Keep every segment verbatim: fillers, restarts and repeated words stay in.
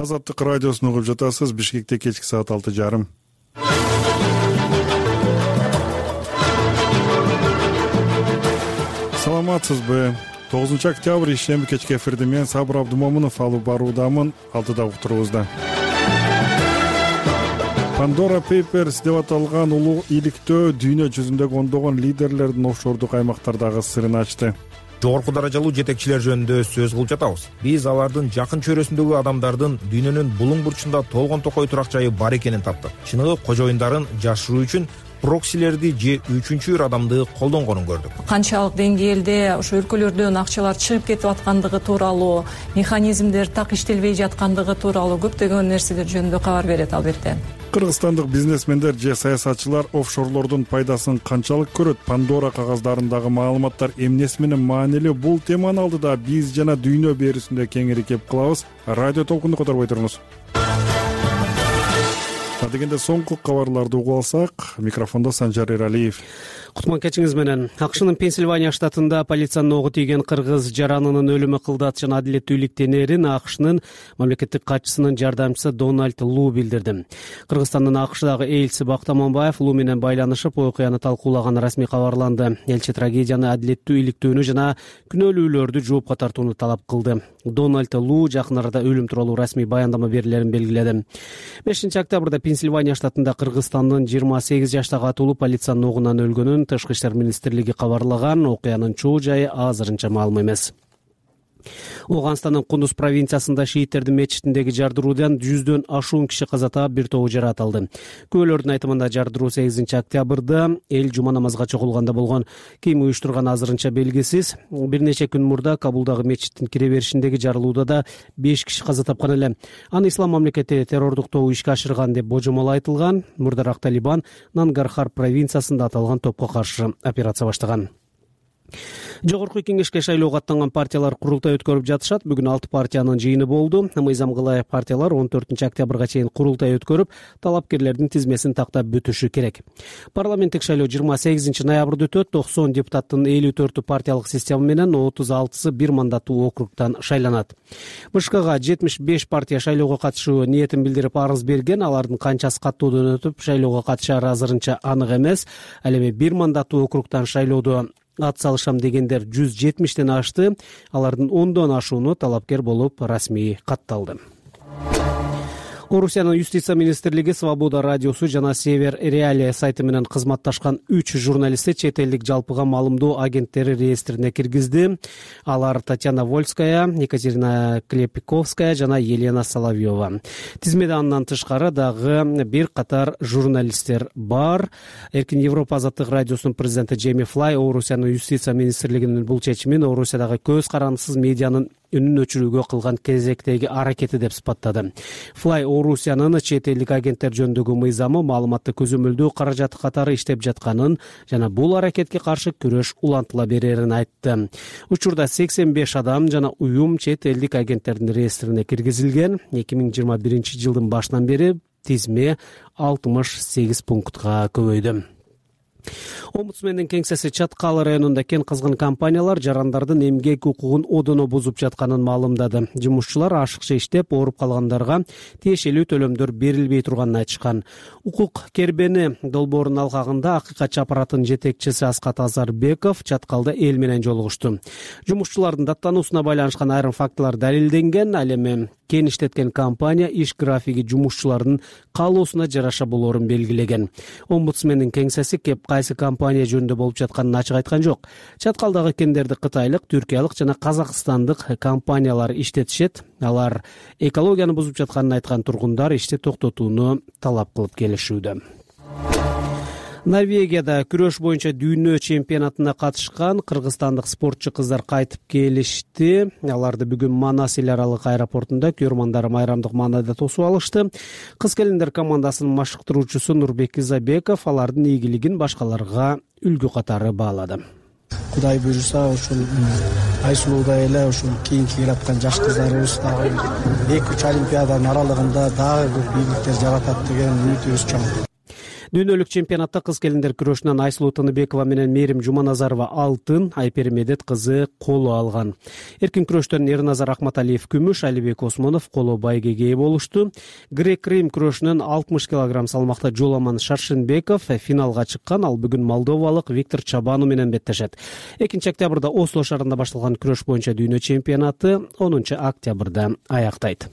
Азаттык радиосун угуп жатасыз. Бишкекте кечки саат алты жарым. Саламатсызбы? тогузунчу октябрь ишемби кечки эфирде мен Сабыр Абдумомунов алып баруудамын. Алтыда уктуруубузда. Pandora Papers деп аталган улуу иликтөө дүйнө жүзүндөгү ондогон лидерлердин офшордук аймактардагы сырын ачты. Жогорку даражалуу жетекчилер жөнүндө сөз кылып жатабыз. Биз алардын жакын чөйрөсүндөгү адамдардын дүйнөнүн булуң бурчунда толгон токой турак жайы бар экенин таптык. Чыныгы кожоюндарын жашыруу үчүн проксилерди же үчүнчү бир адамды колдонгонун көрдүк. Канчалык деңгээлде ошо өлкөлөрдөн акчалар чыгып кетип аткандыгы тууралуу, механизмдер так иштелбей жаткандыгы тууралуу көптөгөн нерселер жөнүндө кабар берет албетте. Кыргызстандык бизнесмендер же саясатчылар офшорлордун пайдасын канчалык көрөт? Pandora кагаздарындагы маалыматтар эмнеси менен маанилүү? Бул теманы алдыда биз жана дүйнө берүүсүндө кеңири кеп кылабыз. Радио толкунду которбой туруңуз. Дегенде соңку кабарларды угуп алсак, микрофондо Санжар Эралиев. Кутман кечиңиз менен. Акшнын Пенсильвания штатында полициянын ого тийген кыргыз жаранынын өлүмү кылдат жана адилеттүүлүк тенерин Акшнын мамлекеттик катчысынын жардамчысы Дональд Лу билдирди. Кыргызстандын Акшдагы элчиси Бактан Мамбаев Лу менен байланышып, окуяны талкуулаганы расмий кабарланды. Элчи трагедияны адилеттүү иликтөөнү жана күнөөлүүлөрдү жоопко тартууну талап кылды. Дональд Лу жакын арада өлүм тууралуу расмий баяндама берилерин белгиледи. бешинчи октябрда Пенсильвания штатында Кыргызстандын жыйырма сегиз жаштагы атуулу полициянын огунан өлгөнүн Тышкы иштер министрлиги кабарлаган. Окуянын чоо жайы азырынча маалым эмес. Оганстандын Кундуз провинциясында шииттердин мечитиндеги жардыруудан жүздөн ашуун киши каза таап, бир тобу жаратылды. Күбөлөрдүн айтымында жардыруу сегизинчи октябрда эл жума намазга чогулганда болгон. Ким уюштурганы азырынча белгисиз. Бир нече күн мурда Кабулдагы мечиттин кире беришиндеги жарылууда да беш киши каза тапкан эле. Аны ислам мамлекети террордук тобу ишке ашырган деп божомол айтылган. Мурдараак Талибан Нангархар провинциясында аталган топко каршы операция баштаган. Жогорку кеңешке шайлоого аттанган партиялар курултай өткөрүп жатышат. Бүгүн алты партиянын жыйыны болду. Мыйзам кылай партиялар он төртүнчү октябрга чейин курултай өткөрүп, талапкерлердин тизмесин тактап бүтүшү керек. Парламенттик шайлоо жыйырма сегизинчи ноябрда өтөт. токсон депутаттын элүү төртү партиялык система менен, отуз алтысы бир мандаттуу округтан шайланат. БШКга жетимиш беш партия шайлоого катышуу ниетин билдирип арыз берген. Алардын канчасы каттоодон өтүп, шайлоого катышары азырынча анык эмес. Ал эми бир мандаттуу округтан шайлоодо ат салышам дегендер жүз жетимиштен ашты. Алардын ондон ашууну талапкер болуп расмий катталды. Орусиянын юстиция министрлиги Свобода радиосу жана Север Реалия сайты менен кызматташкан үч журналистти чет элдик жалпыга маалымдоо агенттери реестрине киргизди. Алар Татьяна Вольская, Екатерина Клепиковская жана Елена Соловьева. Тизмеде андан тышкары дагы бир катар журналисттер бар. Эркин Европа азаттык радиосунун президенти Джейми Флай Орусиянын юстиция министрлигинин бул чечимин Орусиядагы көз карандысыз медианын үнүн өчүрүүгө кылган кезектеги аракети деп сыпаттады. Флай Орусиянын чет элдик агенттер жөнүндөгү мыйзамы маалыматты көзөмөлдөө каражаты катары иштеп жатканын жана бул аракетке каршы күрөш улантыла берерин айтты. Учурда сексен беш адам жана уюм чет элдик агенттердин реестрине киргизилген. эки миң жыйырма биринчи жылдын башынан бери тизме алтымыш сегиз пунктка көбөйдү. Омбудсмендин кеңсеси Чаткал районунда кен кызган компаниялар жарандардын эмгек укугун одоно бузуп жатканын маалымдады. Жумушчулар ашыкча иштеп, ооруп калгандарга тиешелүү төлөмдөр берилбей турганын айтышкан. Укук кербени долбоорунун алкагында акыйкатчы аппараттын жетекчиси Аскат Азарбеков Чаткалда эл менен жолугушту. Жумушчулардын даттануусуна байланышкан айрым фактылар далилденген. Ал эми кен иштеткен компания иш графиги жумушчулардын каалоосуна жараша болоорун белгилеген. Омбудсмендин кеңсеси кеп кайсы компания жөнүндө болуп жатканын ачык айткан жок. Чаткалдагы кендерди кытайлык, түркиялык жана казакстандык компаниялар иштетишет. Алар экологияны бузуп жатканын айткан тургундар ишти токтотууну талап кылып келишүүдө. Норвегияда күрөш боюнча дүйнө чемпионатына катышкан кыргызстандык спортчу кыздар кайтып келишти. Аларды бүгүн Манас эл аралык аэропортунда көрмандары майрамдык маанайда тосуп алышты. Кыз келиндер командасынын машыктыруучусу Нурбек Изабеков алардын ийгилигин башкаларга үлгү катары баалады. Кудай буйруса, ошол айсулуудай эле ошол кийинки келаткан жаш кыздарыбыз дагы эки үч олимпиаданын аралыгында дагы бир бийликтер жаратат деген үмүтүбүз чоң. Дүйнөлүк чемпионатта кыз келиндер күрөшүнөн Айсулуу Тыныбекова менен Мээрим Жуманазарова алтын, Айпери Медет кызы коло алган. Эркин күрөштөн Эрназар Акматалиев күмүш, Алибек Осмонов коло байгеге ээ болушту. Грек-Рим күрөшүнөн алтымыш килограмм салмакта Жоламан Шаршенбеков финалга чыккан. Ал бүгүн молдовалык Виктор Чабану менен беттешет. экинчи октябрда Осло шаарында башталган күрөш боюнча дүйнө чемпионаты онунчу октябрда аяктайт.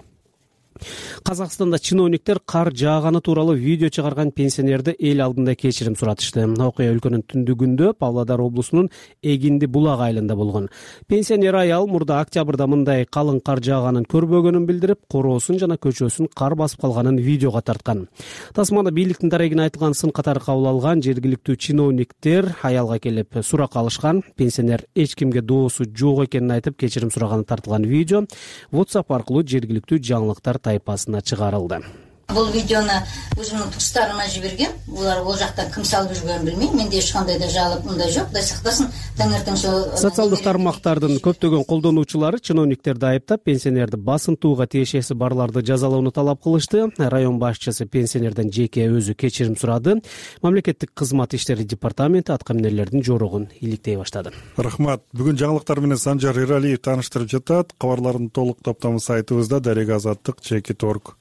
Казакстанда чиновниктер кар жааганы тууралуу видео чыгарган пенсионерди эл алдында кечирим суратышты. Окуя өлкөнүн түндүгүндө Павлодар облусунун Эгинди булак айылында болгон. Пенсионер аял мурда октябрда мындай калың кар жааганын көрбөгөнүн билдирип, короосун жана көчөсүн кар басып калганын видеого тарткан. Тасманда бийликтин дарегине айтылган сын катары кабыл алган жергиликтүү чиновниктер аялга келип сурак алышкан. Пенсионер эч кимге доосу жок экенин айтып кечирим сураганы тартылган видео WhatsApp аркылуу жергиликтүү жаңылыктар тайпасына чыгарылды. Бул видеону өзүмдүн туыстарыма жибергем. Булар бул жактан ким салып жүргөнүн билбейм. Менде эч кандай да жалоб мындай жок. Кудай сактасын, таңертең ошо социалдык тармактардын көптөгөн колдонуучулары чиновниктерди айыптап, пенсионерди басынтууга тиешеси барларды жазалоону талап кылышты. Район башчысы пенсионерден жеке өзү кечирим сурады. Мамлекеттик кызмат иштери департаменти атка минерлердин жорогун иликтей баштады. Рахмат. Бүгүн жаңылыктар менен Санжар Эралиев тааныштырып жатат. Кабарлардын толук топтому сайтыбызда дарек азаттык чекит орг.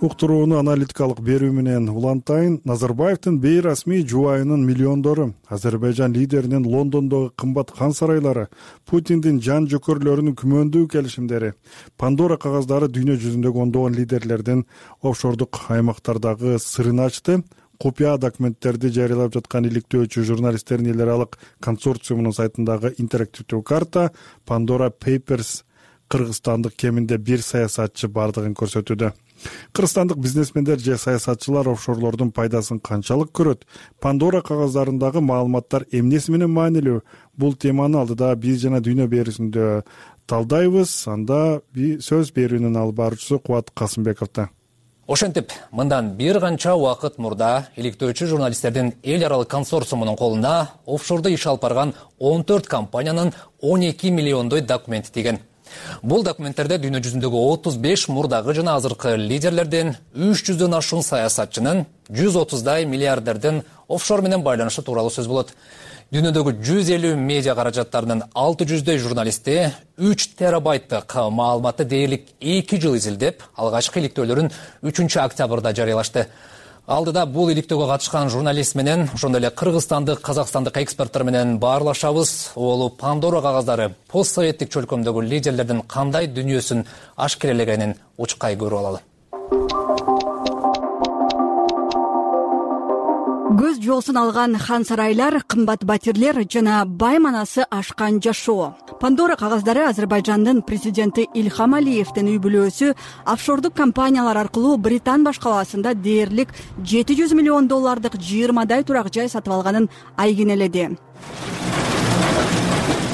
Уктурууну аналитикалык берүү менен улантайын. Назарбаевдин бейрасмий жубайынын миллиондору, Азербайжан лидеринин Лондондогу кымбат хан сарайлары, Путиндин жан жөкөрлөрүнүн күмөндүү келишимдери, Пандора кагаздары дүйнө жүзүндөгү ондогон лидерлердин офшордук аймактардагы сырын ачты. Купуя документтерди жарыялап жаткан иликтөөчү журналисттердин эл аралык консорциумунун сайтындагы интерактивдүү карта Pandora Papers кыргызстандык кеминде бир саясатчы бардыгын көрсөтүүдө. Кыргызстандык бизнесмендер же саясатчылар офшорлордун пайдасын канчалык көрөт? Пандора кагаздарындагы маалыматтар эмнеси менен маанилүү? Бул теманы алдыда биз жана дүйнө берүүсүндө талдайбыз. Анда сөз берүүнүн алып баруучусу Кубат Касымбековдо. Ошентип, мындан бир канча убакыт мурда иликтөөчү журналисттердин эл аралык консорциумунун колуна офшордо иш алып барган он төрт компаниянын он эки миллиондой документи тийген. Бул документтерде дүйнө жүзүндөгү отуз беш мурдагы жана азыркы лидерлердин, үч жүздөн ашуун саясатчынын, жүз отуздай миллиардердин офшор менен байланышы тууралуу сөз болот. Дүйнөдөгү жүз элүү медиа каражаттарынын алты жүздөй журналисти үч терабайттык маалыматты дээрлик эки жыл изилдеп, алгачкы иликтөөлөрүн үчүнчү октябрда жарыялашты. Алдыда бул иликтөөгө катышкан журналист менен, ошондой эле кыргызстандык, казакстандык эксперттер менен баарлашабыз. Ол Пандора кагаздары постсоветтик чөлкөмдөгү лидерлердин кандай дүнүйөсүн ашкерелегенин учкай көрүп алалы. Көз жоосун алган хан сарайлар, кымбат батирлер жана бай манасы ашкан жашоо. Пандора кагаздары Азербайжандын президенти Ильхам Алиевдин үй бүлөсү офшордук компаниялар аркылуу Британ башкаласында дээрлик жети жүз миллион доллардык жыйырмадай турак жай сатып алганын айгинеледи.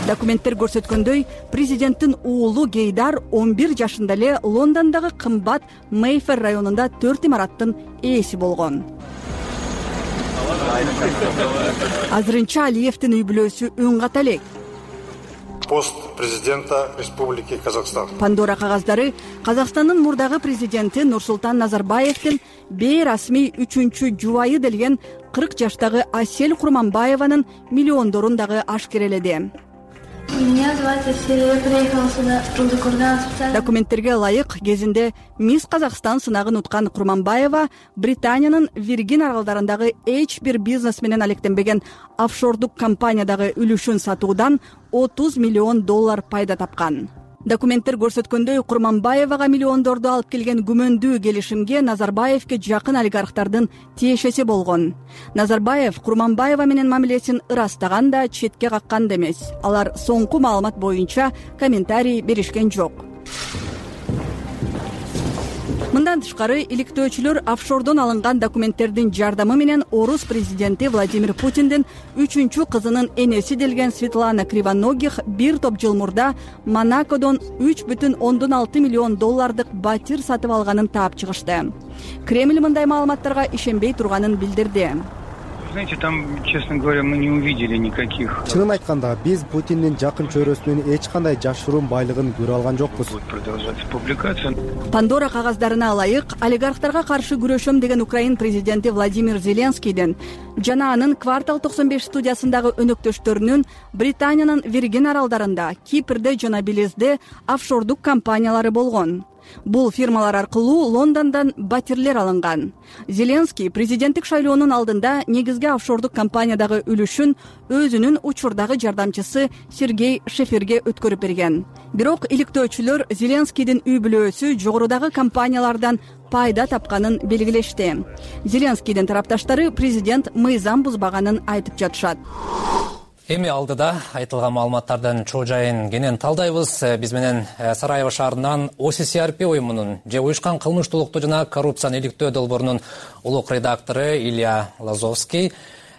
Документтер көрсөткөндөй, президенттин уулу Гейдар он бир жашында эле Лондондогу кымбат Мейфер районунда төрт имараттын ээси болгон. Азырынча Алиевдин үй бүлөсү үн ката элек. Пост президента Республики Казахстан. Пандора кагаздары Казакстандын мурдагы президенти Нурсултан Назарбаевдин бейрасмий үчүнчү жубайы делген кырк жаштагы Асель Курманбаеванын миллиондорун дагы ашкереледи. Меня зовут Асель, я приехала сюда из Кургана. Документтерге ылайык кезинде Мисс Казакстан сынагын уткан Курманбаева Британиянын Виргин аралдарындагы эч бир бизнес менен алектенбеген офшордук компаниядагы үлүшүн сатуудан отуз миллион доллар пайда тапкан. Документтер көрсөткөндөй, Курманбаевага миллиондорду алып келген күмөндүү келишимге Назарбаевге жакын олигархтардын тиешеси болгон. Назарбаев Курманбаева менен мамилесин ырастаган да, четке каккан да эмес. Алар соңку маалымат боюнча комментарий беришкен жок. Мындан тышкары, иликтөөчүлөр офшордон алынган документтердин жардамы менен орус президенти Владимир Путиндин үчүнчү кызынын энеси делген Светлана Кривоногих бир топ жыл мурда Монакодон үч бүтүн ондон алты миллион доллардык батир сатып алганын таап чыгышты. Кремль мындай маалыматтарга ишенбей турганын билдирди. Знаете, там, честно говоря, мы не увидели никаких. Чынын айтканда, биз Путиндин жакын чөйрөсүнүн эч кандай жашыруун байлыгын көрө алган жокпуз. Будет продолжаться публикация. Пандора кагаздарына ылайык, олигархтарга каршы күрөшөм деген Украин президенти Владимир Зеленскийдин жана анын Квартал токсон беш студиясындагы өнөктөштөрүнүн Британиянын Виргин аралдарында, Кипрде жана Белизде офшордук компаниялары болгон. Бул фирмалар аркылуу Лондондон батирлер алынган. Зеленский президенттик шайлоонун алдында негизги офшордук компаниядагы үлүшүн өзүнүн учурдагы жардамчысы Сергей Шеферге өткөрүп берген. Бирок иликтөөчүлөр Зеленскийдин үй бүлөсү жогорудагы компаниялардан пайда тапканын белгилешти. Зеленскийдин тарапташтары президент мыйзам бузбаганын айтып жатышат. Эми алдыда айтылган маалыматтардын чоо жайын кенен талдайбыз. Биз менен Сараево шаарынан О С С R P уюмунун же уюшкан кылмыштуулукту жана коррупцияны иликтөө долбоорунун улук редактору Илья Лазовский,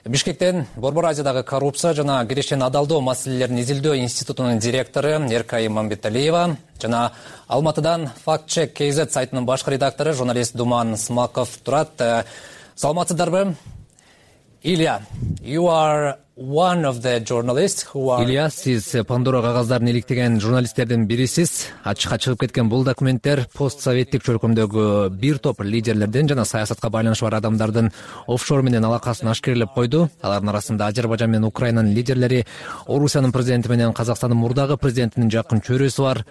Бишкектен Борбор Азиядагы коррупция жана кирешен адалдоо маселелерин изилдөө институтунун директору Эркай Мамбеталиева жана Алматыдан Fact Check K Z сайтынын башкы редактору журналист Думан Смаков турат. Саламатсыздарбы? Илья, you are one of the journalists who are... Илья, сиз Пандора кагаздарына иликтеген журналисттердин бирисиз. Ачыкка чыгып кеткен бул документтер постсоветтик чөлкөмдөгү бир топ лидерлердин жана саясатка байланышы бар адамдардын офшор менен алакасын ашкерлеп койду. Алардын арасында Азербайжан менен Украинанын лидерлери, Орусиянын президенти менен Казакстандын мурдагы президентинин жакын чөйрөсү бар.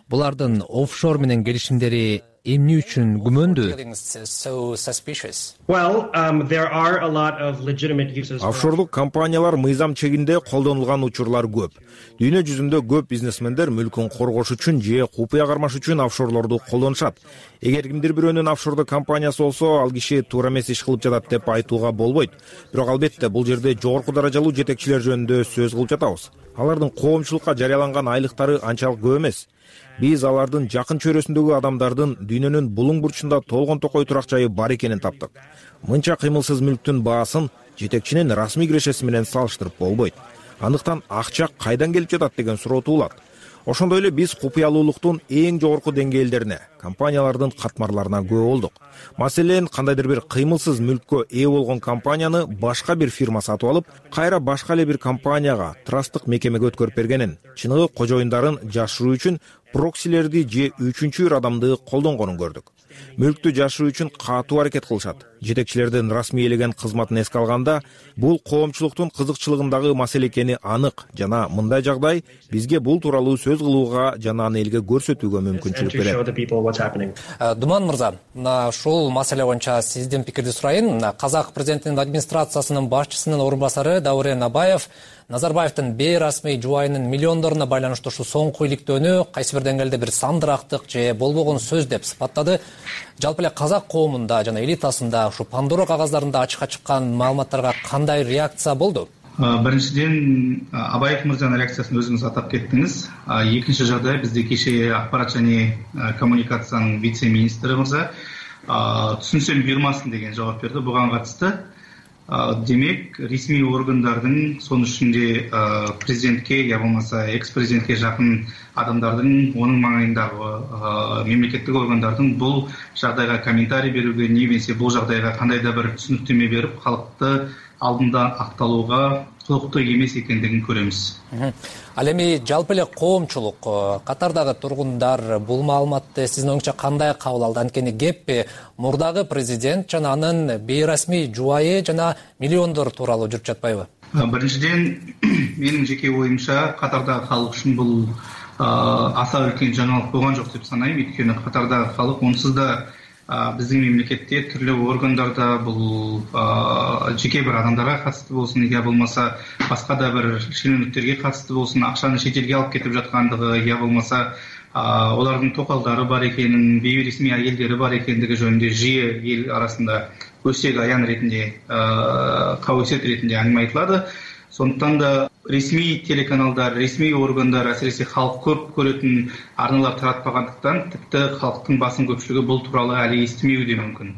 Булардын офшор менен келишимдери эмне үчүн күмөндүү? Офшордук компаниялар мыйзам чегинде колдонулган учурлар көп. Дүйнө жүзүндө көп бизнесмендер мүлкүн коргош үчүн же купуя кармаш үчүн офшорлорду колдонушат. Эгер кимдир бирөөнүн офшордук компаниясы болсо, ал киши туура эмес иш кылып жатат деп айтууга болбойт. Бирок албетте бул жерде жогорку даражалуу жетекчилер жөнүндө сөз кылып жатабыз. Алардын коомчулукка жарыяланган айлыктары анчалык көп эмес. Биз алардын жакын чөйрөсүндөгү адамдардын дүйнөнүн булуң бурчунда толгон токой турак жайы бар экенин таптык. Мынча кыймылсыз мүлктүн баасын жетекчинин расмий кирешеси менен салыштырып болбойт. Андыктан акча кайдан келип жатат деген суроо туулат. Ошондой эле биз купуялуулуктун эң жогорку деңгээлдерине, компаниялардын катмарларына күбө болдук. Маселен, кандайдыр бир кыймылсыз мүлккө ээ болгон компанияны башка бир фирма сатып алып, кайра башка эле бир компанияга, трасттык мекемеге өткөрүп бергенин, чыныгы кожоюндарын жашыруу үчүн проксилерди же үчүнчү бир адамды колдонгонун көрдүк. Мүлктү жашыруу үчүн катуу аракет кылышат. Жетекчилердин расмийлеген кызматын эске алганда, бул коомчулуктун кызыкчылыгындагы маселе экени анык жана мындай жагдай бизге бул тууралуу сөз кылууга жана аны элге көрсөтүүгө мүмкүнчүлүк берет. Думан мырза, мына ушул маселе боюнча сиздин пикирди сурайын. Казак президентинин администрациясынын башчысынын орун басары Даурен Абаев Назарбаевдин бейрасмий жубайынын миллиондоруна байланыштуу ушу соңку иликтөөнү кайсы бир деңгээлде бир сандырактык же болбогон сөз деп сыпаттады. Жалпы эле казак коомунда жана элитасында ушу Пандора кагаздарында ачыкка чыккан маалыматтарга кандай реакция болду? Биринчиден, Абаев мырзанын реакциясын өзүңүз атап кеттиңиз. Экинчи жагдай, бизде кеше акпарат жана коммуникациянын вице-министри мырза түшүнсөм буйрмасын деген жооп берди буга катышты. Демек, ресми органдардын, сонун ичинде президентке, я болмаса экс-президентке жакын адамдардын, онун маңайындагы мемлекеттик органдардын бул жагдайга комментарий берүүгө, немесе бул жагдайга кандайда бир түшүнүктөмө берип, калкты алдында акталууга кулуктуу эмес экендигин көрөбүз. Ал эми жалпы эле коомчулук, катардагы тургундар бул маалыматты сиздин оюңузча кандай кабыл алды? Анткени кеп мурдагы президент жана анын бейрасмий жубайы жана миллиондор тууралуу жүрүп жатпайбы? Биринчиден, менин жеке оюмча катардагы калык үчүн бул аса үлкен жаңылык болгон жок деп санайм. Өйткөнү катардагы калык онсуз да биздин мемлекетте түрлүү органдарда бул жеке бир адамдарга катыштуу болсун, я болмаса башка да бир шенеунүктөргө катыштуу болсун, акчаны чет элге алып кетип жаткандыгы, я болмаса олардын токалдары бар экенин, бейресмий айелдери бар экендиги жөнүндө жыйы эл арасында көсөк аян ретинде, кабысет ретинде аңгыма айтылады. Сондуктан да ресми телеканалдар, ресми органдар, асиресе халык көп көрөтүн арналар таратпагандыктан, типти халктын басым көпчүлүгү бул тууралуу али эстемеуи де мүмкүн.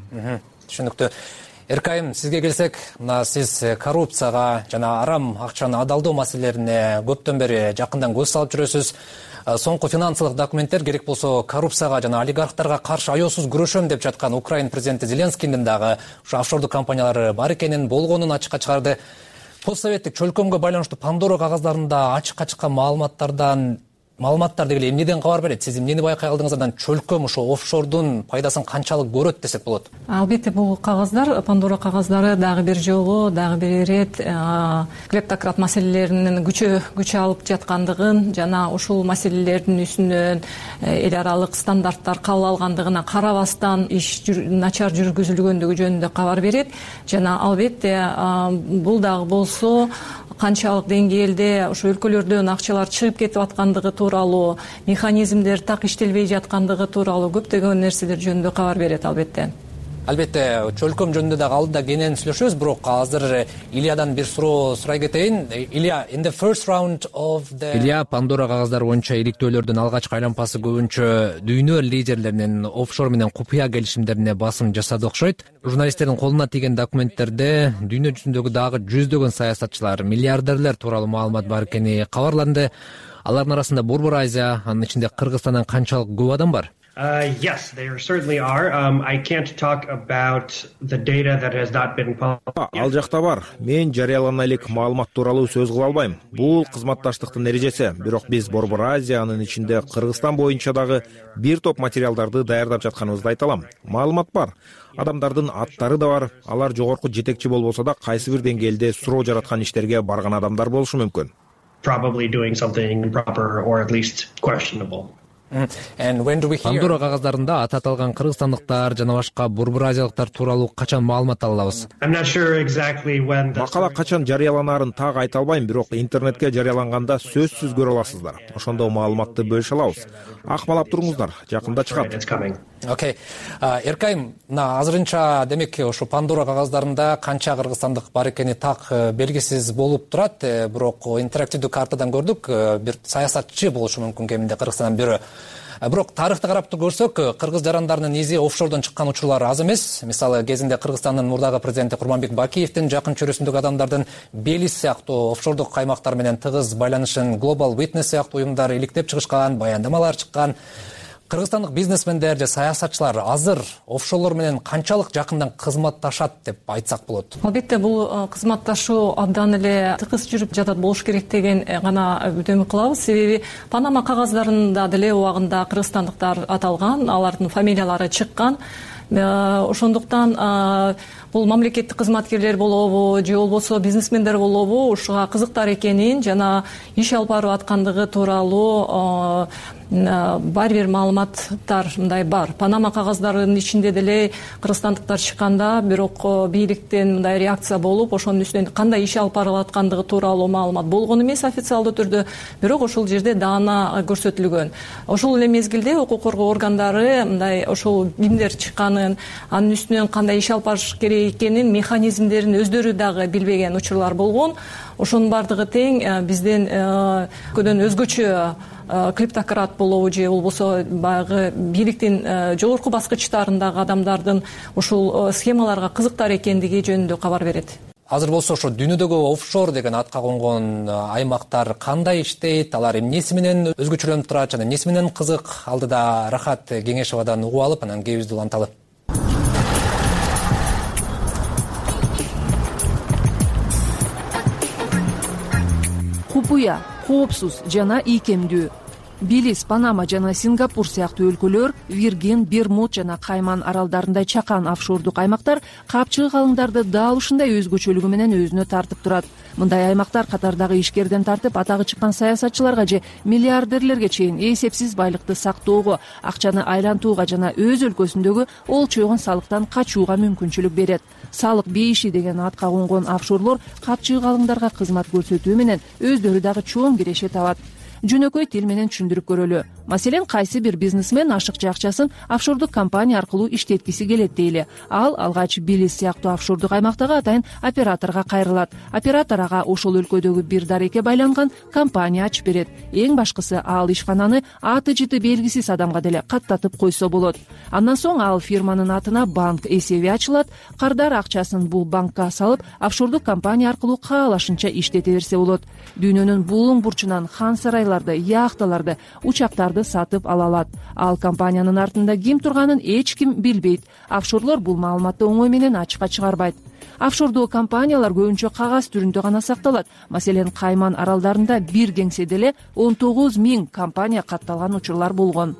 Түшүнүктүү. Эркайым, сизге келсек, мына сиз коррупцияга жана арам акчаны адалдоо маселелерине көптөн бери жакындан көз салып жүрөсүз. Соңку финансылык документтер керек болсо коррупцияга жана олигархтарга каршы аеосуз күрөшөм деп жаткан Украин президенти Зеленскийдин дагы ушу офшордук компаниялары бар экенин, болгонун ачыкка чыгарды. Постсоветтик чөлкөмгө байланыштуу Пандора кагаздарында ачыкка чыккан маалыматтардан маалыматтар дегеле эмнеден кабар берет? Сиз эмнени байкай алдыңыз? Андан чөлкөм ошо офшордун пайдасын канчалык көрөт десек болот? Албетте бул кагаздар, Пандора кагаздары дагы бир жолу, дагы бир ирет клептократ маселелеринин күчө күч алып жаткандыгын жана ушул маселелердин үстүнөн эл аралык стандарттар кабыл алгандыгына карабастан иш начар жүргүзүлгөндүгү жөнүндө кабар берет. Жана албетте бул дагы болсо канчалык деңгээлде ошо өлкөлөрдөн акчалар чыгып кетип аткандыгы тууралуу, механизмдер так иштелбей жаткандыгы тууралуу көптөгөн нерселер жөнүндө кабар берет албетте. Албетте, чөлкөм жөнүндө дагы алдыда кенен сүйлөшөбүз, бирок азыр Ильядан бир суроо сурай кетейин. Илья, in the first round of the Илья, Пандора кагаздары боюнча иликтөөлөрдүн алгачкы айлампасы көбүнчө дүйнө лидерлеринин офшор менен купуя келишимдерине басым жасады окшойт. Журналисттердин колуна тийген документтерде дүйнө жүзүндөгү дагы жүздөгөн саясатчылар, миллиардерлер тууралуу маалымат бар экени кабарланды. Алардын арасында Борбор Азия, анын ичинде Кыргызстандан канчалык көп адам бар? Uh, yes, there certainly are. Um, I can't talk about the data that has not been published. Ал жакта бар. Мен жарыялана элек маалымат тууралуу сөз кыла албайм. Бул кызматташтыктын эрежеси. Бирок биз Борбор Азия, анын ичинде Кыргызстан боюнча дагы бир топ материалдарды даярдап жатканыбызды айта алам. Маалымат бар. Адамдардын аттары да бар. Алар жогорку жетекчи болбосо да кайсы бир деңгээлде суроо жараткан иштерге барган адамдар болушу мүмкүн. Probably doing something improper or at least questionable. Пандора кагаздарында аты аталган кыргызстандыктар жана башка Борбор Азиялыктар тууралуу качан маалымат ала алабыз? Макала качан жарыяланаарын так айта албайм, бирок интернетке жарыяланганда сөзсүз көрө аласыздар. Ошондо маалыматты бөлүшө алабыз. Акмалап туруңуздар, жакында чыгат. Окей. Эркайым, мына азырынча демек ошо Пандора кагаздарында канча кыргызстандык бар экени так белгисиз болуп турат, бирок интерактивдүү картадан көрдүк, бир саясатчы болушу мүмкүн кеминде Кыргызстандан бирөө. Бирок тарыхты карап көрсөк, кыргыз жарандарынын изи офшордон чыккан учурлар аз эмес. Мисалы, кезинде Кыргызстандын мурдагы президенти Курманбек Бакиевдин жакын чөрөсүндөгү адамдардын Белиз сыяктуу офшордук каймактар менен тыгыз байланышын Global Witness сыяктуу уюмдар иликтеп чыгышкан, баяндамалар чыккан. Кыргызстандык бизнесмендер же саясатчылар азыр офшорлор менен канчалык жакындан кызматташат деп айтсак болот? Албетте, бул кызматташуу абдан эле тыгыз жүрүп жатат болуш керек деген гана үмүт кылабыз. Себеби Панама кагаздарында деле убагында кыргызстандыктар аталган, алардын фамилиялары чыккан. Ошондуктан бул мамлекеттик кызматкерлер болобу же болбосо бизнесмендер болобу ушуга кызыктар экенин жана иш алып барып аткандыгы тууралуу бар бир маалыматтар мындай бар. Панама кагаздарынын ичинде деле кыргызстандыктар чыкканда, бирок бийликтен мындай реакция болуп, ошонун үстүнөн кандай иш алып барып аткандыгы тууралуу маалымат болгон эмес официалдуу түрдө, бирок ошол жерде даана көрсөтүлгөн. Ошол эле мезгилде укук коргоо органдары мындай ошол кимдер чыкканын, анын үстүнөн кандай иш алып барыш керек экенин, механизмдерин өздөрү дагы билбеген учурлар болгон. Ошонун бардыгы тең бизден көдөн өзгөчө клептократ болобу же болбосо баягы бийликтин жогорку баскычтарындагы адамдардын ушул схемаларга кызыктар экендиги жөнүндө кабар берет. Азыр болсо ошо дүйнөдөгү офшор деген атка конгон аймактар кандай иштейт, алар эмнеси менен өзгөчөлөнүп турат жана эмнеси менен кызык? Алдыда Рахат Кеңешовадан угуп алып, анан кебизди уланталы. Купуя, коопсуз жана ийкемдүү. Белиз, Панама жана Сингапур сыяктуу өлкөлөр, Виргин, Бермуд жана Кайман аралдарындай чакан офшордук аймактар капчыгы калыңдарды дал ушундай өзгөчөлүгү менен өзүнө тартып турат. Мындай аймактар катардагы ишкерден тартып атагы чыккан саясатчыларга же миллиардерлерге чейин эсепсиз байлыкты сактоого, акчаны айлантууга жана өз өлкөсүндөгү олчойгон салыктан качууга мүмкүнчүлүк берет. Салык бейиши деген атка конгон офшорлор капчыгы калыңдарга кызмат көрсөтүү менен өздөрү дагы чоң киреше табат. Жөнөкөй тил менен түшүндүрүп көрөлү. Маселен, кайсы бир бизнесмен ашыкча акчасын офшордук компания аркылуу иштеткиси келет дейли. Ал алгач Билис сыяктуу офшордук аймактагы атайын операторго кайрылат. Оператор ага ошол өлкөдөгү бир дарекке байланган компания ачып берет. Эң башкысы, ал ишкананы аты жыты белгисиз адамга деле каттатып койсо болот. Андан соң ал фирманын атына банк эсеби ачылат. Кардар акчасын бул банкка салып, офшордук компания аркылуу каалашынча иштете берсе болот. Дүйнөнүн булуң бурчунан хан сарайларды, яхталарды, учактарды сатып ала алат. Ал компаниянын артында ким турганын эч ким билбейт. Офшорлор бул маалыматты оңой менен ачыкка чыгарбайт. Офшордуу компаниялар көбүнчө кагаз түрүндө гана сакталат. Маселен, Кайман аралдарында бир кеңседе эле он тогуз миң компания катталган учурлар болгон.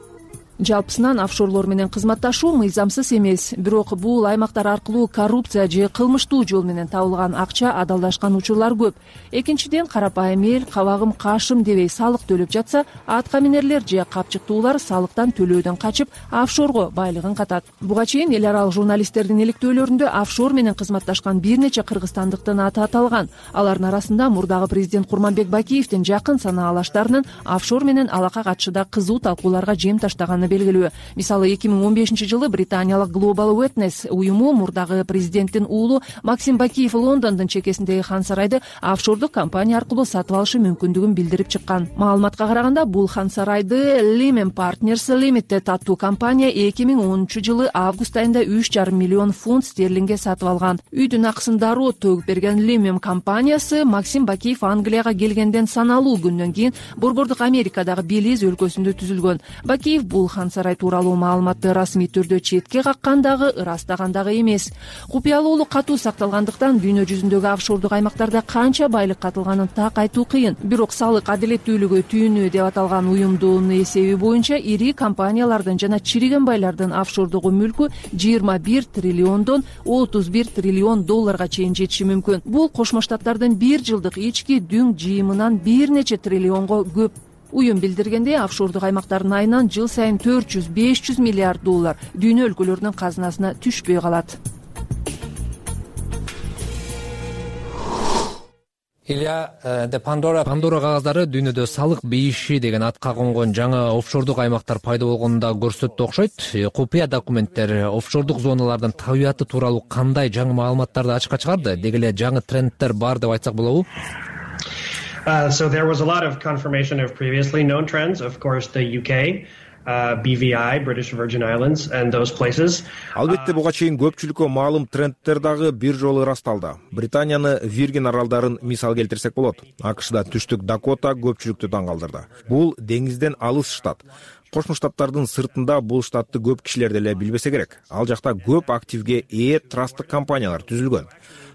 Жалпысынан офшорлор менен кызматташуу мыйзамсыз эмес, бирок бул аймактар аркылуу коррупция же кылмыштуу жол менен табылган акча адалдашкан учурлар көп. Экинчиден, карапайым эл кабагым кашым дебей салык төлөп жатса, аткаминерлер же капчыктуулар салыктан төлөөдөн качып, офшорго байлыгын катат. Буга чейин эл аралык журналисттердин иликтөөлөрүндө офшор менен кызматташкан бир нече кыргызстандыктын аты аталган. Алардын арасында мурдагы президент Курманбек Бакиевдин жакын санаалаштарынын офшор менен алака катышында кызуу талкууларга жем таштаганы белгилүү. Мисалы, эки миң он бешинчи жылы британиялык Global Witness уюму мурдагы президенттин уулу Максим Бакиев Лондондун чекесиндеги хан сарайды офшордук компания аркылуу сатып алышы мүмкүндүгүн билдирип чыккан. Маалыматка караганда, бул хан сарайды Lehman Partners Limited аттуу компания эки миң онунчу жылы август айында үч жарым миллион фунт стерлингге сатып алган. Үйдүн акысын дароо төгүп берген Lehman компаниясы Максим Бакиев Англияга келгенден саналуу күндөн кийин борбордук Америкадагы Белиз өлкөсүндө түзүлгөн. Бакиев бул хан сарай тууралуу маалыматты расмий түрдө четке каккан дагы, ырастаган дагы эмес. Купуялуулук катуу сакталгандыктан дүйнө жүзүндөгү офшордук аймактарда канча байлык катылганын так айтуу кыйын. Бирок салык адилеттүүлүгү түйүнү деп аталган уюмдун эсеби боюнча ири компаниялардын жана чириген байлардын офшордук мүлкү жыйырма бир триллиондон отуз бир триллион долларга чейин жетиши мүмкүн. Бул Кошмо Штаттардын бир жылдык ички дүң жыйымынан бир нече триллионго көп. Уюм билдиргендей, офшордук аймактардын айынан жыл сайын төрт жүз беш жүз миллиард доллар дүйнө өлкөлөрүнүн казынасына түшпөй калат. Илья, де Пандора Пандора кагаздары дүйнөдө салык бейиши деген атка конгон жаңы офшордук аймактар пайда болгонун да көрсөттү окшойт. Купуя документтер офшордук зоналардын табияты тууралуу кандай жаңы маалыматтарды ачыкка чыгарды? Деги эле жаңы трендтер бар деп айтсак болобу? Uh, so there was a lot of confirmation of previously known trends. Of course, the U K, uh, B V I, British Virgin Islands, and those places. Албетте, буга чейин көпчүлүккө маалым трендтер дагы бир жолу ырасталды. Британияны Виргин аралдарын мисал келтирсек болот. АКШда түштүк Дакота көпчүлүктү таң калтырды. Бул деңизден алыс штат. Кошмо Штаттардын сыртында бул штатты көп кишилер деле билбесе керек. Ал жакта көп активге ээ трасттык компаниялар түзүлгөн.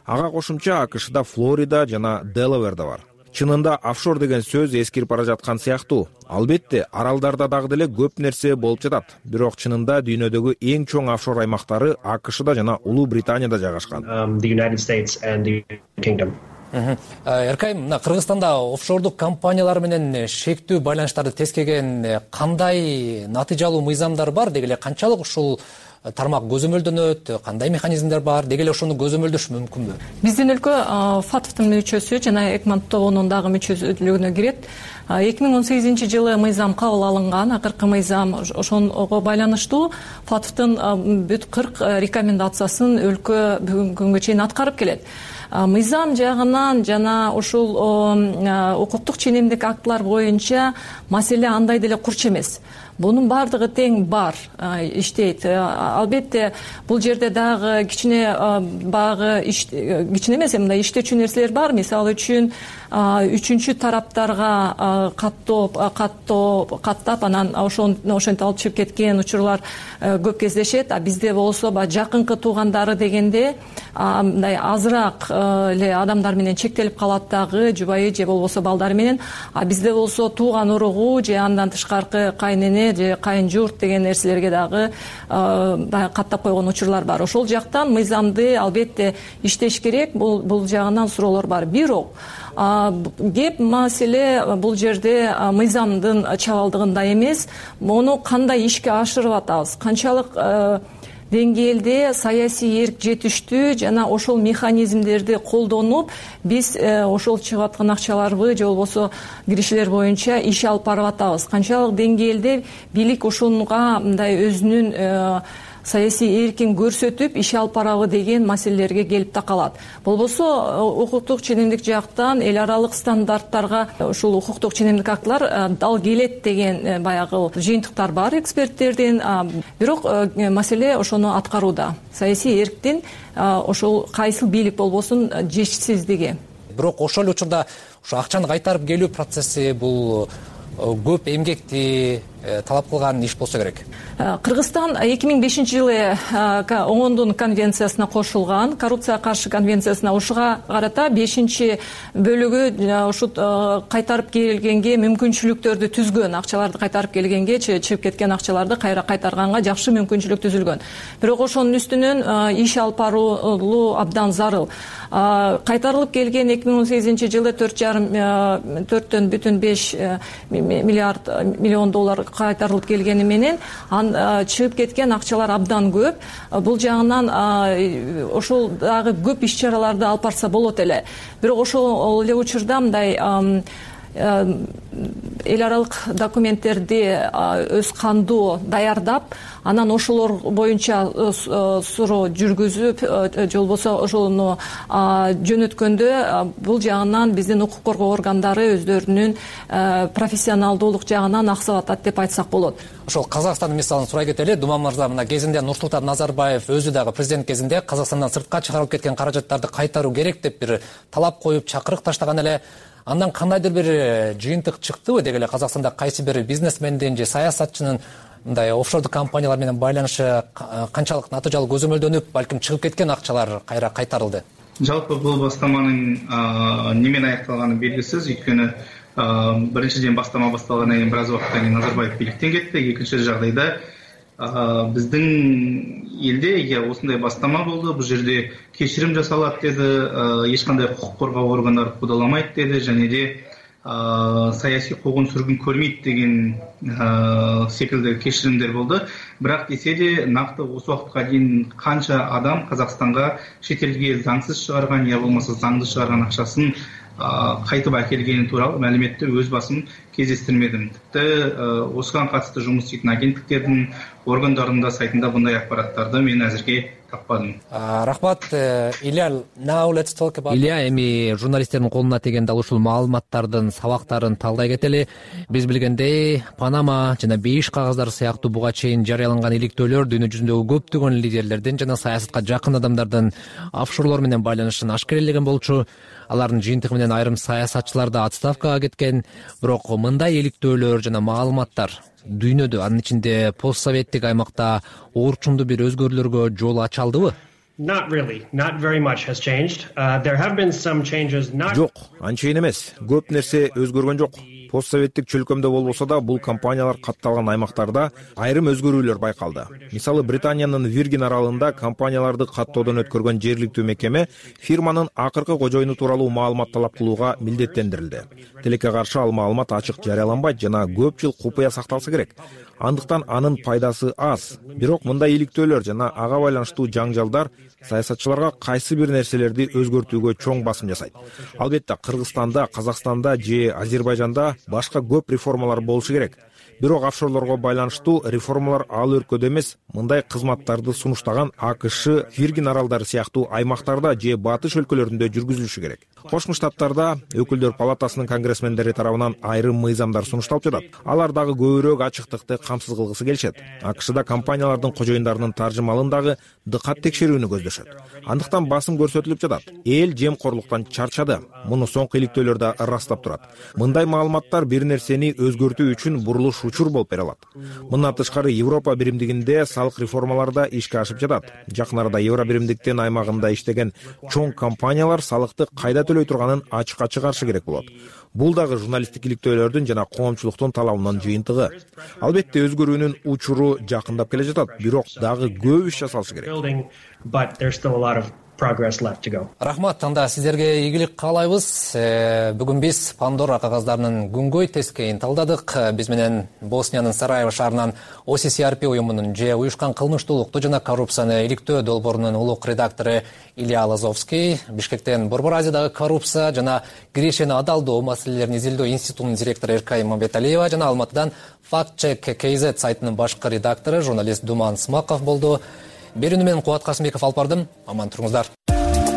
Ага кошумча АКШда Флорида жана Делавер да бар. Чынында офшор деген сөз эскирип бара жаткан сыяктуу. Албетте, аралдарда дагы деле көп нерсе болуп жатат. Бирок чынында дүйнөдөгү эң чоң офшор аймактары АКШда жана Улуу Британияда жайгашкан. The United States and the Kingdom. Эркайм, мына Кыргызстанда офшордук компаниялар менен шектүү байланыштарды тескеген кандай натыйжалуу мыйзамдар бар? Деги эле канчалык ушул тармак көзөмөлдөнөт, кандай механизмдер бар, деги эле ошону көзөмөлдөш мүмкүнбү? Биздин өлкө ФАТФтын мүчөсү жана Экман тобунун дагы мүчөлүгүнө кирет. эки миң он сегизинчи жылы мыйзам кабыл алынган, акыркы мыйзам ошого байланыштуу ФАТФтын бүт кырк рекомендациясын өлкө бүгүнкү күнгө чейин аткарып келет. Мыйзам жагынан жана ушул укуктук ченемдик актылар боюнча маселе андай деле курч эмес. Бунун бардыгы тең бар, иштейт. Албетте, бул жерде дагы кичине багы кичине эмес, мындай иштечү нерселер бар. Мисалы үчүн үчүнчү тараптарга каттоп, каттоп, каттап анан ошентип алып чыгып кеткен учурлар көп кездешет. А бизде болсо жакынкы туугандары дегенде мындай азыраак эле адамдар менен чектелип калат дагы, жубайы же болбосо балдары менен. А бизде болсо тууган уругу же андан тышкаркы кайнене же кайын журт деген нерселерге дагы каттап койгон учурлар бар. Ошол жактан мыйзамды албетте иштеш керек, бул бул жагынан суроолор бар. Бирок кеп маселе бул жерде мыйзамдын чабалдыгында эмес, муну кандай ишке ашырып атабыз, канчалык деңгээлде саясий эрк жетиштүү жана ошол механизмдерди колдонуп биз ошол чыгып аткан акчаларбы же болбосо киришелер боюнча иш алып барып атабыз. Канчалык деңгээлде бийлик ушунга мындай өзүнүн саясий эркин көрсөтүп иш алып барабы деген маселелерге келип такалат. Болбосо укуктук ченемдик жактан эл аралык стандарттарга ушул укуктук ченемдик актылар дал келет деген баягы жыйынтыктар бар эксперттердин, бирок маселе ошону аткарууда. Саясий эрктин ошол кайсыл бийлик болбосун жетишсиздиги. Бирок ошол эле учурда ушу акчаны кайтарып келүү процесси бул көп эмгекти талап кылган иш болсо керек. Кыргызстан эки миң бешинчи жылы оңондун конвенциясына кошулган, коррупцияга каршы конвенциясына. Ушуга карата бешинчи бөлүгү ушу кайтарып келгенге мүмкүнчүлүктөрдү түзгөн, акчаларды кайтарып келгенге, чыгып кеткен акчаларды кайра кайтарганга жакшы мүмкүнчүлүк түзүлгөн. Бирок ошонун үстүнөн иш алып баруу абдан зарыл. Кайтарылып келген эки миң он сегизинчи жылы төрт жарым төрттөн бүтүн беш миллиард миллион доллар кайтарылып келгени менен чыгып кеткен акчалар абдан көп. Бул жагынан ошол дагы көп иш чараларды алып барса болот эле. Бирок ошол эле учурда мындай эл аралык документтерди өз кандуу даярдап, анан ошолор боюнча суроо жүргүзүп же болбосо ошону жөнөткөндө бул жагынан биздин укук коргоо органдары өздөрүнүн профессионалдуулук жагынан аксап атат деп айтсак болот. Ошол Казакстандын мисалын сурай кетели. Думан мырза, мына кезинде Нурсултан Назарбаев өзү дагы президент кезинде Казакстандан сыртка чыгарылып кеткен каражаттарды кайтаруу керек деп бир талап коюп чакырык таштаган эле. Андан кандайдыр бир жыйынтык чыктыбы деги эле Казакстанда кайсы бир бизнесмендин же саясатчынын мындай офшордук компаниялар менен байланышы канчалык натыйжалуу көзөмөлдөнүп, балким чыгып кеткен акчалар кайра кайтарылды? Жалпы бул бастаманын немен аякталганы белгисиз, өйткөнү биринчиден бастама башталгандан кийин бир аз убакыттан кийин Назарбаев бийликтен кетти. Экинчи жагдайда биздин элде осундай бастама болду, бул жерде кечирим жасалат деди, эч кандай укук коргоо органдары куудаламайт деди, және де саясий куугун сүргүн көрмейт деген секилди кечиримдер болду. Бирок десе де накты осы убакытка чейин канча адам Казакстанга чет элге заңсыз чыгарган, я болмаса заңдуу чыгарган акчасын кайтып акелгени тууралуу маалиметти өз басым кездестирмедим. Типти осуга катысты жумуш иштейтин агенттиктердин органдарында сайтында мындай акпараттарды мен азырге таппадым. Рахмат, Илья. Илья, эми журналисттердин колуна тиген дал ушул маалыматтардын сабактарын талдай кетели. Биз билгендей, Панама жана бейиш кагаздары сыяктуу буга чейин жарыяланган иликтөөлөр дүйнө жүзүндөгү көптөгөн лидерлердин жана саясатка жакын адамдардын офшорлор менен байланышын ашкерелеген болчу. Алардын жыйынтыгы менен айрым саясатчылар да отставкага кеткен. Бирок мындай иликтөөлөр жана маалыматтар дүйнөдө, анын ичинде постсоветтик аймакта оорчундуу бир өзгөрүүлөргө жол ача алдыбы? Not really. Not very much has changed. Uh, there have been some changes. Not... Жок, анчейин эмес. Көп нерсе өзгөргөн жок. Постсоветтик чөлкөмдө болбосо да бул компаниялар катталган аймактарда айрым өзгөрүүлөр байкалды. Мисалы, Британиянын Виргин аралында компанияларды каттоодон өткөргөн жергиликтүү мекеме фирманын акыркы кожоюну тууралуу маалымат талап кылууга милдеттендирилди. Тилекке каршы ал маалымат ачык жарыяланбайт жана көп жыл купуя сакталса керек. Андыктан анын пайдасы аз. Бирок мындай иликтөөлөр жана ага байланыштуу жаңжалдар саясатчыларга кайсы бир нерселерди өзгөртүүгө чоң басым жасайт. Албетте, Кыргызстанда, Казакстанда же Азербайжанда башка көп реформалар болушу керек. Бирок офшорлорго байланыштуу реформалар ал өлкөдө эмес, мындай кызматтарды сунуштаган АКШ, Виргин аралдары сыяктуу аймактарда же батыш өлкөлөрүндө жүргүзүлүшү керек. Кошмо Штаттарда өкүлдөр палатасынын конгрессмендери тарабынан айрым мыйзамдар сунушталып жатат. Алар дагы көбүрөөк ачыктыкты камсыз кылгысы келишет. АКШда компаниялардын кожоюндарынын таржымалын дагы дыкат текшерүүнү көздөшөт. Андыктан басым көрсөтүлүп жатат. Эл жемкорлуктан чарчады. Муну соңку иликтөөлөр да ырастап турат. Мындай маалыматтар бир нерсени өзгөртүү үчүн бурулуш учур болуп бере алат. Мындан тышкары Европа биримдигинде салык реформалары да ишке ашып жатат. Жакын арада Евро биримдиктин аймагында иштеген чоң компаниялар салыкты кайда төлөй турганын ачык-ачык каршы керек болот. Бул дагы журналисттик иликтөөлөрдүн жана коомчулуктун талабынын жыйынтыгы. Албетте, өзгөрүүнүн учуру жакындап келе жатат, бирок дагы көп иш жасалышы керек. progress left to go. Рахмат, анда сиздерге ийгилик каалайбыз. Бүгүн биз Пандора кагаздарынын күнгөй тескейин талдадык. Биз менен Босниянын Сараево шаарынан о си си ар пи уюмунун же уюшкан кылмыштуулукту жана коррупцияны иликтөө долбоорунун улук редактору Илья Лазовский, Бишкектен Борбор Азиядагы коррупция жана кирешени адалдоо маселелерин изилдөө институтунун директору Эркай Мамбеталиева жана Алматыдан Fact Check кей зет сайтынын башкы редактору журналист Думан Смаков болду. Берүүнү менен Кубат Касымбеков алып бардым. Аман туруңуздар.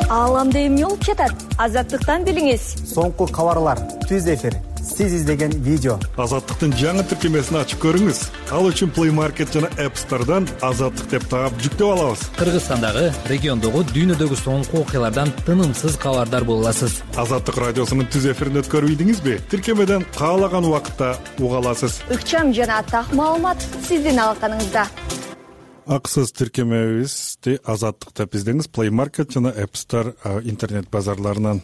Ааламда эмне болуп жатат? Азаттыктан билиңиз. Соңку кабарлар, түз эфир, сиз издеген видео. Азаттыктын жаңы тиркемесин ачып көрүңүз. Ал үчүн Play Market жана App Store'дан Азаттык деп таап жүктөп алабыз. Кыргызстандагы, региондогу, дүйнөдөгү соңку окуялардан тынымсыз кабардар боло аласыз. Азаттык радиосунун түз эфирин өткөрүп ийдиңизби? Тиркемеден каалаган убакытта уга аласыз. Ыкчам жана так маалымат сиздин алаканыңызда. Акысыз тиркемебизди Азаттык деп издеңиз Play Market жана App Store интернет базарларынан.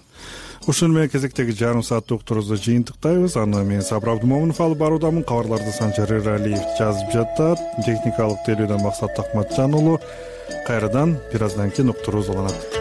Ушуну менен кезектеги жарым сааттык уктурубузду жыйынтыктайбыз. Аны мен Сабыр Абдымомунов алып баруудамын. Кабарларды Санжар Эралиев жазып жатат. Техникалык тейлөөдөн Максат Акматжан уулу. Кайрадан бир аздан кийин уктурубуз уланат.